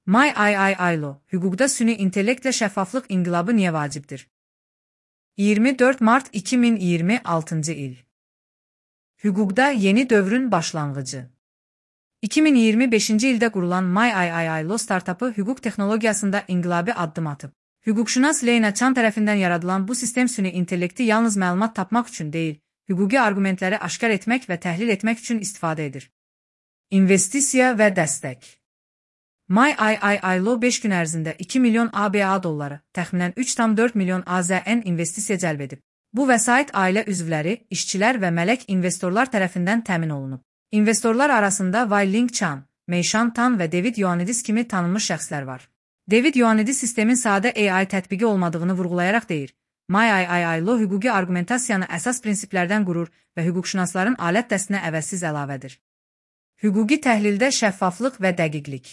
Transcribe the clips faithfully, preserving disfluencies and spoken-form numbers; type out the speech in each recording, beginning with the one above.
MyIIILO, hüquqda süni intellektlə şəffaflıq inqilabı niyə vacibdir? iyirmi dörd mart iki min iyirmi altıncı il. Hüquqda yeni dövrün başlanğıcı. iki min iyirmi beşinci ildə qurulan MyIIILO startapı hüquq texnologiyasında inqilabi addım atıb. Hüquqşünas Leyna Chan tərəfindən yaradılan bu sistem süni intellekti yalnız məlumat tapmaq üçün deyil, hüquqi arqumentləri aşkar etmək və təhlil etmək üçün istifadə edir. İnvestisiya və dəstək. MyIIILO beş gün ərzində iki milyon ABA dolları, təxminən üç tam dörd milyon AZN investisiya cəlb edib. Bu vəsait ailə üzvləri, işçilər və mələk investorlar tərəfindən təmin olunub. İnvestorlar arasında Wai Ling Chan, Mei Shan Tan və David Ioannidis kimi tanınmış şəxslər var. David Ioannidis sistemin sadə A I tətbiqi olmadığını vurğulayaraq deyir, MyIIILO hüquqi arqumentasiyanı əsas prinsiplərdən qurur və hüquqşünasların alət dəstinə əvəzsiz əlavədir. Hüquqi təhlildə şəffaflıq və dəqiqlik.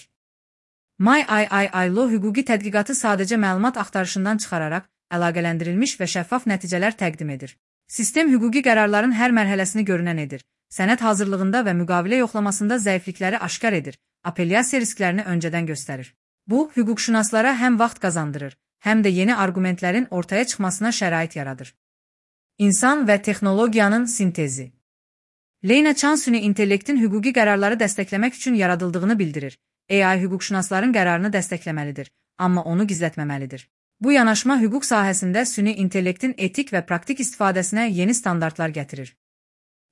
MyIIILO hüquqi tədqiqatı sadəcə məlumat axtarışından çıxararaq, əlaqələndirilmiş və şəffaf nəticələr təqdim edir. Sistem hüquqi qərarların hər mərhələsini görünən edir, sənəd hazırlığında və müqavilə yoxlamasında zəiflikləri aşkar edir, apellyasiya risklərini öncədən göstərir. Bu, hüquqşünaslara həm vaxt qazandırır, həm də yeni arqumentlərin ortaya çıxmasına şərait yaradır. İnsan və texnologiyanın sintezi. Leyna Chan süni intellektin hüquqi qərarları dəstəkləmək üçün yaradıldığını bildirir. A I hüquqşünasların qərarını dəstəkləməlidir, amma onu gizlətməməlidir. Bu yanaşma hüquq sahəsində süni intellektin etik və praktik istifadəsinə yeni standartlar gətirir.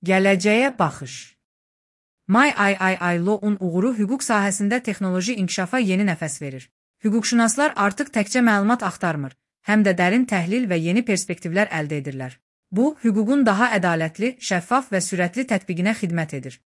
Gələcəyə baxış. MyIIILO-un uğuru hüquq sahəsində texnoloji inkişafa yeni nəfəs verir. Hüquqşünaslar artıq təkcə məlumat axtarmır, həm də dərin təhlil və yeni perspektivlər əldə edirlər. Bu, hüququn daha ədalətli, şəffaf və sürətli tətbiqinə xidmət edir.